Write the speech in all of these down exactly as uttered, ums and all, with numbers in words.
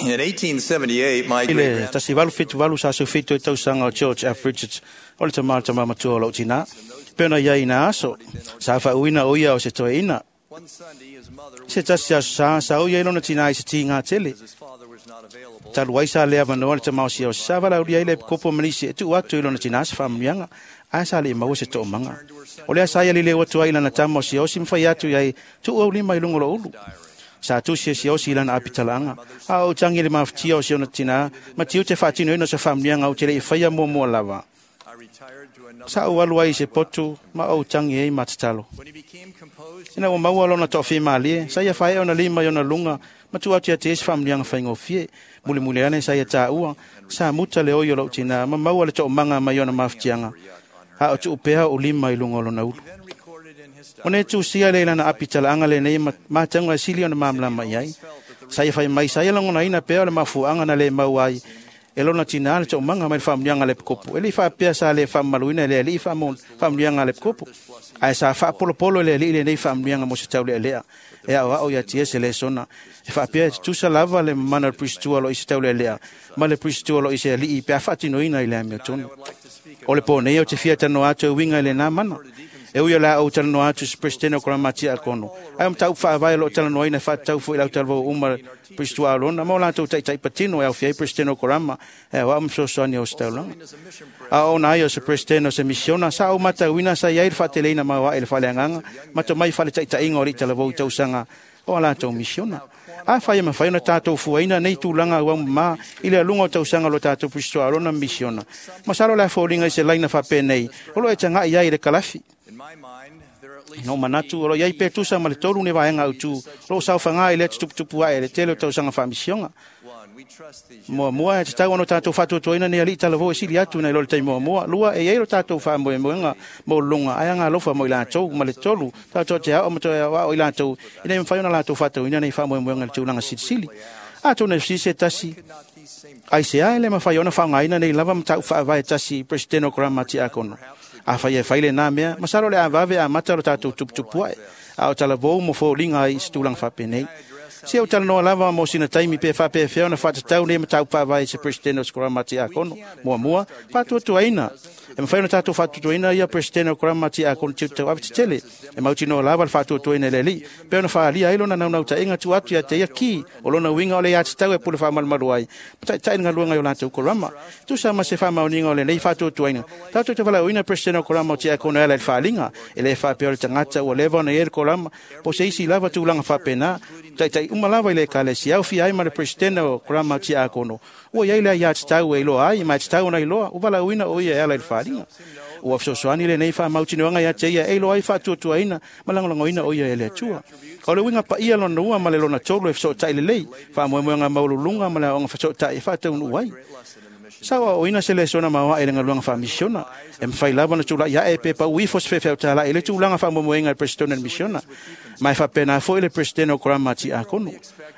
In eighteen seventy-eight, my I le great tasi valu fitu valu sa sufito i tausaga o George F. Richards o le tama tama matua o lou tina. Pena ia ina aso, sa faauina o ia o se toeina. One Sunday, his mother Se tasi aso sa, sa o ia i lona tina i se tiga tele. his father was not available. Talu ai sa lea vanoa le tamao sia o sa valaulia i le kopo manisi e tuu atu i lona tina se faamanuiaga, ae sa le maua se toomaga. O lea sa ia lileu atu ai i lana tama o Siaosi ma fai atu i ai, tuu au lima i luga o lou ulu. Sa tusi e Siaosi i lana apitalaga, a o tangi le mafatia o si ona tina, ma tiute faatinoina o se faamanuiaga ou te le i faia muamua lava. I retired to another. Sa ou alu ai i se potu, ma ou tangi ai ma tatalo. When he became composed, Ina ua maua lona toafimalie, sa ia faea ona lima i ona luga, ma tuu atu ia te ia se faamanuiaga faigofie. Mulimuli ane sa ia taua, sa muta le oi o lou tina, ma maua le toomaga mai ona mafatiaga. A o tuu pea o lima i luga o lona ulu. then recorded in his O ne tusia le lana apitalaaga lenei ma matauga e sili ona malamalama i ai. Sa ia fai mai, sa ia lagonaina pea o le mafuaaga na le mau ai e lona tina le toomaga mai le faamanuiaga a le epikopo. E le i faapea sa le faamamaluina e le alii faamanuiaga a le epikopo, ae sa faapolopolo e le alii lenei faamanuiaga mo se taulealea. E aoao ia te ia se lesona. E faapea e tutusa lava le mamana o le puisitua o lo i se taulealea ma le puisitua o lo i se alii pe a faatinoina i le amiotonu. O le po nei o te fia talanoa atu e uiga i lenā mana. E ui o le a ou talanoa atu se presidente o Korama Tiakono. Ai o mataupu faavae o loo talanoaina e faatatau foi i lau talavou uma puisitua Alona ma o latou taitai patino e aufia ai presidente o Korama e aoao ma fesoasoani o se taulaga. A ona ai o se presidente o se misiona, sa ou matauina sa i ai le faateleina maoae i le faaleagaga ma tomai faletaitaiga o alii talavou i tausaga o a latou misiona. A fai e mafai ona tatou fuaina nei tulaga auaumamā i le aluga o tausaga o lo tatou puisitua Alona ma misiona. Masalo le a foliga i se laina faapenei o lo e taga'i ai i le kalafi. In my mind, there are at least No manatu o lo iai pe tusa ma le tolu ne vaega autu o lo saofaga i lea tutuputupu ae le tele o tausaga faamisioga. one. We trust these Muamua e tatau ona tatou faatuatuaina ni alii talavou e sili atu nai lo le taimi muamua. Lua e iai lo tatou faamoemoega maualuluga ae agalofa mo i latou. Ma le tolu tatou te ao ma toe aoao i latou ina ia mafai ona latou faatauina nei faamoemoega i le tulaga silisili. Atonu e fesili se tasi, not these same ai se a e le mafai ona faaaogaina nei lava mataupu faavae tasi i presidente o Korama Tiakono. A fai e fai lenā mea, masalo le avave amata lo tatou tuputupu ae, a o talavou mo foliga ai i se tulaga faapenei. Se o talanoa lava mo sina taimi pe faapefea ona faatatau nei mataupu faavae i se presidente o se Korama Tiakono. Muamua, faatuatuaina. E mafai ona tatou faatuatuaina ia presidente o Korama Tiakono tiute tauave tetele. E mautinoa lava le faatuatuaina e le alii, pe ona faaalia ai lona naunautaiga tuu atu ia te ia ki o lona uiga o le aiatatau e pule faamalumalu ai, ma taitai le galuega i o latou Korama. Tusa ma se faamaoniga o lenei faatuatuaina, tatou te valaauina presidente o Korama o Tiakono e ala i le faaliga. E le faapea o le tagata ua leva ona i ai le Korama, po o se isi lava tulaga faapena, taitai uma lava i le ekalesia aofia ai ma le presidente o Korama Tiakono. Ua i ai le aiatatau e iloa ai, ma e tatau ona iloa, ua valaauina o ia e ala i le faaliga. Ua fesoasoani lenei faamautinoaga ia te ia e iloa ai faatuatuaina ma lagolagoina o ia e le Atua. O le uiga paia lona lua ma le lona tolu e fesootai lelei, faamoemoega maualuluga ma le aoga fesootai e faataunuu ai. Sa aoaoina se lesona maoae i le galuega faamisiona. E mafai lava ona tula'i ae pe pau ifo se feufeutala'i i le tulaga faamoemoega i le presidente o le misiona. Ma e faapena foi le presidente o Korama Tiakono.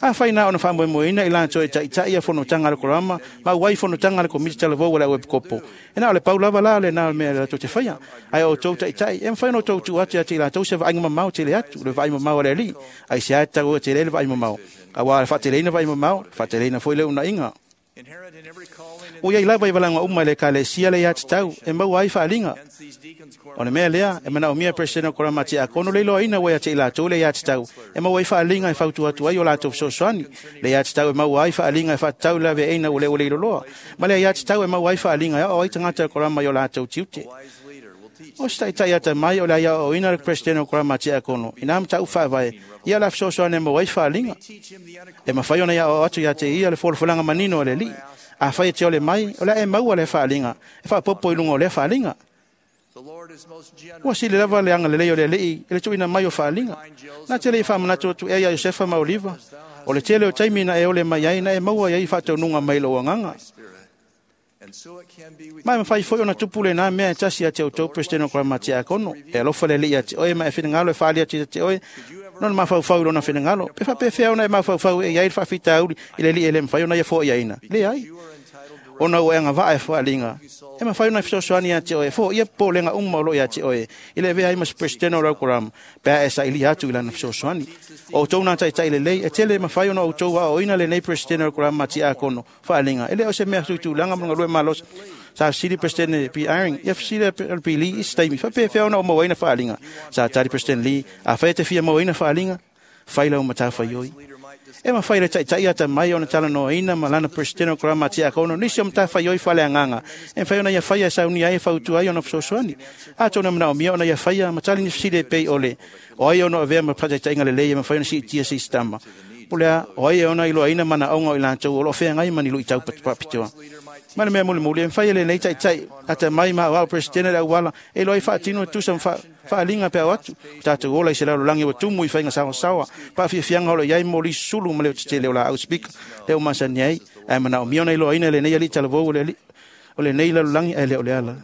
Afai na ona faamoemoeina i latou e taitai ia fonotaga a le Korama ma auai fonotaga a le komiti talavou a le au epikopo. E na o le pau lava la lenā o le mea e latou te faia. Ae o outou taitai, e mafai ona outou tuu atu ia te i latou se vaaiga mamao tele atu, le vaai mamao a le alii. Ai se a e tatau e tele le vaai mamao. Auā le faateleina vaai mamao, faateleina foi le unaiga. inherent in every calling and Ua iai lava i valaga uma i le ekalesia le aiatatau e maua ai faaliga. hence these deacons O le mea lea, e manaomia presidente o Korama Tiakono le iloaina ua ia te i latou le aiatatau e maua ai faaliga e fautua atu ai o latou fesoasoani. Le aiatatau e maua ai faaliga e faatatau i le aveaina ua le ua le iloloa. Ma le aiatatau e maua ai faaliga e aoao ai tagata o Korama i o latou tiute. wise leader will teach O se taitai atamai o le aiaoaoina le presidente o Korama Tiakono, ina mataupu faavae, ia la fesoasoani e maua ai faaliga. teach him the E mafai ona iaoao atu ia te ia le folafolaga manino a le alii. Afai e te ole mai, o le a e maua le faaliga, e faapopo i luga o lea faaliga. The Lord is most generous. Ua sili lava le agalelei o le alii i le tuuina mai o faaliga. Na te le i faamanatu atu ea ia Iosefa ma Oliva, o le tele o taimi na e ole mai ai, na e maua ai faataunuga mai lou agaga. Spirit. And so it can be with Ma e mafai foi ona tupu lenā mea e tasi ia te outou presidente o Korama Tiakono. E alofa le alii ia te oe ma e finagalo e faali atu ia te oe, nona mafaufau i lona finagalo. Pe faapefea ona e mafaufau e i ai le faafitauli i le alii e le mafai ona ia foaiaina. Leai. you are entitled to Ona ua e agavaa e faaliga, e mafai ona fesoasoani ia te oe e foia popolega uma o loo ia te oe i le avea ai ma se Peresetene o lau Korama pe a e sailia atu i lana fesoasoani. O outou na taitai lelei, e tele e mafai ona outou aoaoina lenei Peresetene o le Korama Tiakono faaliga. E le o se mea tuitulaga ma galue malosi. Sa fesili Peresetene P. Eyring, ia fesili le P. Lee i se taimi, faapefea ona ou mauaina faaliga. Sa tali Peresetene Lee, afai e te fia mauaina faaliga, fai lau matafaioi. E mafai le taitai atamai ona talanoaina ma lana Peresetene o Korama Tiakono nisi o matafaioi faaleagaga e mafai ona ia faia e saunia ai e fautua ai ona fesoasoani. Atonu e manaomia ona ia faia ma tali ni fesili e pei o le o ai ona avea ma faataitaiga lelei e mafai ona siitia se isitama. Po o le a, o ai e ona iloaina manaoga o i latou o lo o feagai ma ni luitau faapitoa. Ma le mea mulimuli, e mafai e lenei taitai atamai ma aoao Peresetene le auala e iloa ai faatino e tusa ma faaliga pe ao atu. O tatou ola i se lalolagi ua tumu i faiga saoasaoa, paafiafiaga o lo o i ai mo lisi sulu ma le tetele o laau spika lea ua masani ai, ae manaomia ona iloaina e lenei alii talavou o le alii o lenei lalolagi ae le o le ala.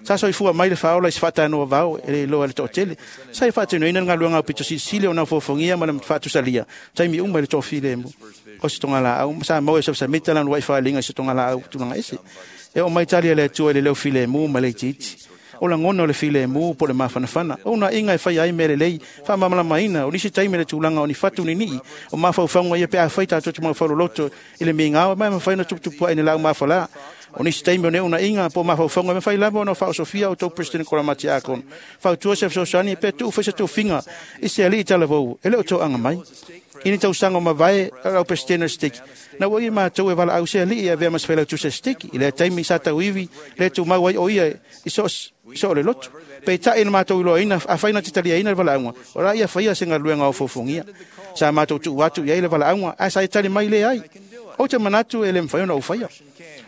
Sa soifua mai le faaola i se faatanoa vao e le iloa e le toatele. Sa e faatinoina le galuega aupito silisili ona fofogia ma le faatusalia taimi uma i le toafilemu. O se togalaau ma sa maua e safasamita lana uluai faaliga i se togalaau tulaga ese. E oo mai tali a le Atua i le leo filemu ma le itiiti. O lagona o le filemu po o le mafanafana. O unaiga e faia ai mea lelei, faamalamalamaina o nisi taimi le tulaga o ni fatu ninii o mafaufauga ia pe afai tatou te mafauloloto i le migao ma e mafai ona tuputupua'i i ni laau mafalā. O nisi taimi o nei unaiga po o mafaufauga e mafai lava ona faaosofia outou Peresetene Korama Tiakono. Fautua se fesoasoani pe tuu foi se tofiga i se alii talavou e le o toaga mai. I ni tausaga o mavae lau Peresetene o le Seteki, na ua ia matou e valaau se alii e avea ma se failautusi a Seteki. I lea taimi sa tauivi le tumau ai o ia i so o le lotu. Peitai na matou iloaina, afai na te taliaina le valaauga, o la ia faia se galuega o fofogia. Sa matou tuu atu i ai le valaauga, ae sa e tali mai le ai. Ou te manatu e le mafai ona ou faia.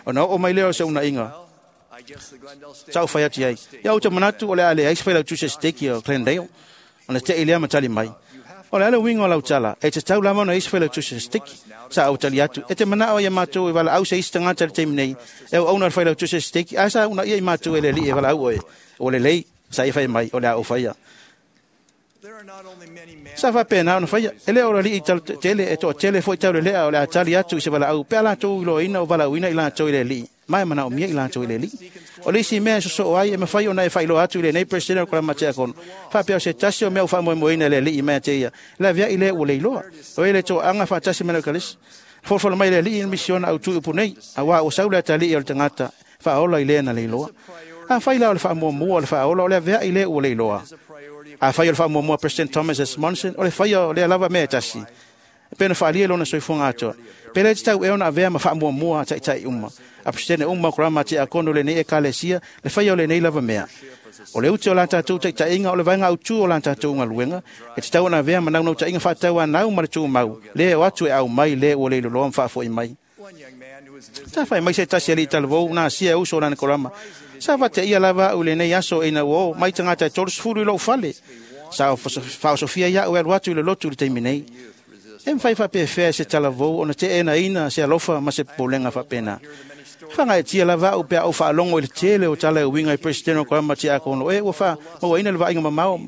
Ona oo mai lea o se unaiga, sa ou fai atu i ai. Ia ou te manatu o le a leai se failautusi a Seteki o Glendale. Ona te i lea ma tali mai. O le a le uiga o lau tala, e tatau lava ona i se failautusi a Seteki. Sa ou tali atu, e te manao ia matou e valaau se isi tagata i le taimi nei, e auauna le failautusi a Seteki, ae sa unaia i matou e le alii e valaau oe. O lelei, sa ia fai mai, o le a ou faia. Sa faapena ona faia, e le o le alii tele e toatele foi taulelea o le a tali atu i se valaau, pe a latou iloaina o valaauina i latou i le alii, ma e manaomia i latou i le alii. O le isi mea e sosoo ai e mafai ona e faailoa atu i lenei Peresetene o Korama Tiakono, faapea o se tasi o mea ua faamoemoeina e le alii mai ia te ia, le aveai lea ua leiloa. O e le toaga faatasi ma le Ekalesia. Folafolaina mai e le alii le misiona autu i upu nei, auā ua sau le atalii o le tagata faaola i lea na leiloa. Afai la o le faamuamua o le faaola o le aveai lea ua leiloa. Afai o le faamuamua President Thomas S. Monson o le faia o lea lava mea e tasi, e pei ona faaalia i lona soifuaga atoa, pe le tatau ea ona avea ma faamuamua a taitai uma, a Peresetene uma o Korama Tiakono o lenei Ekalesia, le faia o lenei lava mea. O le ute o la tatou taitaiga o le vaega autu o la tatou galuega, e tatau ona avea ma naunautaiga faatauanau ma le tumau, le o atu e aumai le ua leiloloa ma faafoi mai. Sa fai mai se tasi alii talavou na asia e uso o lana korama. Sa faateia lava au i lenei aso ina ua o mai tagata e tolusefulu i lou fale. Sa faaosofia ia'u e alu atu i le lotu i le taimi nei. E mafai faapefea e se talavou ona teenaina se alofa ma se popolega faapena. Faagaeetia lava au pe a ou faalogo i le tele o tala e uiga i Peresetene o Korama Tiakono e ua faamauaina le vaaiga mamao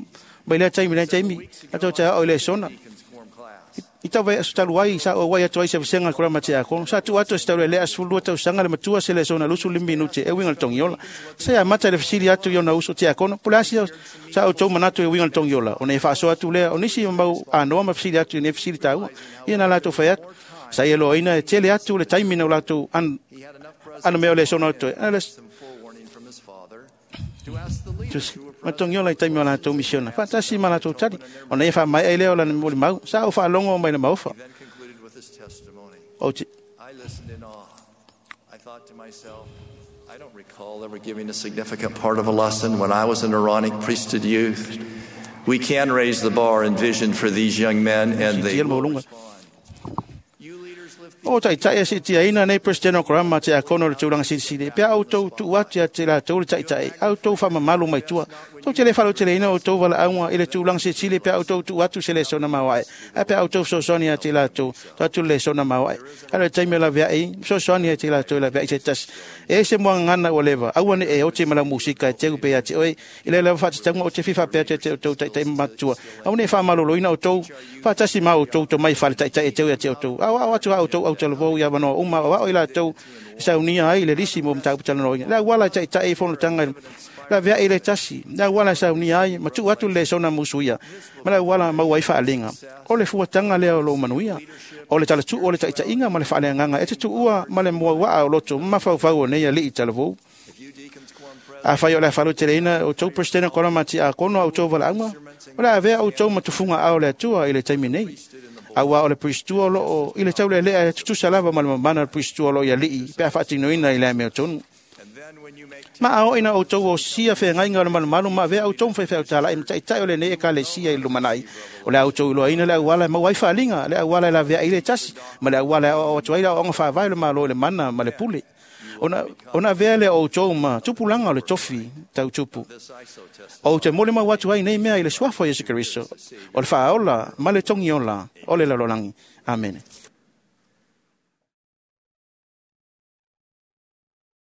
mai lea taimi i lea taimi latou te aoao i lesona. I tau vaiaso talu ai sa ou auai atu ai i se vasega a le Korama Tiakono, sa tuu atu e se taulelea sefululua tausaga le matua se lesona luasefulu lima minute e uiga i le togiola. Sa ia amata i le fesili atu i ona uso Tiakono, po o le a sa outou manatu e uiga i le togiola, ona ia faasoa atu lea o nisi ma mau anoa ma fesili atu i nei fesili taua. Ia na latou fai atu, sa ia iloaina e tele atu le taimi na o latou ano mea o lesona o totoe. Ma togiola i taimi o latou misiona, faatasi ma latou tali, ona ia faamaea ai lea o lana molimau, sa ou faalogo mai le maofa. He then concluded with his testimony. Ou te I listened in awe. I thought to myself, I don't recall ever giving a significant part of a lesson when I was an Aaronic priesthood youth. We can raise the bar and vision for these young men, and they Siitia le will maualuga. respond. You leaders lift the O taitai e siitiaina nei Peresetene o Korama Tiakono i le tulaga silisili, pe a outou tuu atu ia te latou le taitai, a outou faamamalu mai tua, Tou te le faalauteleina outou valaauga i le tulaga silisili pe a outou tuu atu se lesona maoae, ae pe a outou fesoasoani ia te i latou tuu atu le lesona maoae. Ae o le taimi e laveai, fesoasoani ia te i latou e laveai se tasi. E ese muagagana ua leva, aua ne i e oti ma lau musika e teu pea ia te oe, i le lava faatatauga ou te fia faapea atu ia te outou taitai ma matutua. Aua ne i faamaloloina outou, faatasi ma outou tomai faale-taitai e teu ia te outou. Aoao atu a outou autalavou i avanoa uma, aoao i latou e saunia ai le lisi mo mataupu talanoaina. Le auala e taitai i fonotaga laveai i le tasi, le auala e saunia ai, ma tuu atu le lesona musuia, ma le auala maua ai faaliga. O le fuataga lea o lou manuia, o le talatuu o le taitaiga ma le faaleagaga e te tuua ma le muauaa o loto ma mafaufau o nei alii talavou. Afai o le a faalauteleina outou Peresetene o Korama Tiakono a outou valaauga, o le a avea outou ma tufuga ao le Atua i le taimi nei. Auā o le puisitua o loo i le taulelea e tutusa lava ma le mamana o le puisitua o loo i alii pe a faatinoina i le amiotonu. Ma a oo ina outou osia feagaiga o le malumalu ma avea outou ma faifeau talai ma taitai o lenei ekalesia i le lumanai, o le a outou iloaina le auala e maua ai faaliga, le auala e laveai i le tasi, ma le auala e aoao atu ai le aoaoga faavae o le Malo i le mana ma le pule. Ona, ona avea lea o outou ma tupulaga o le tofi tau tupu. Ou te molimau atu ai nei mea i le suafa o Iesu Keriso, o le faaola ma le togiola o le lalolagi. Amene.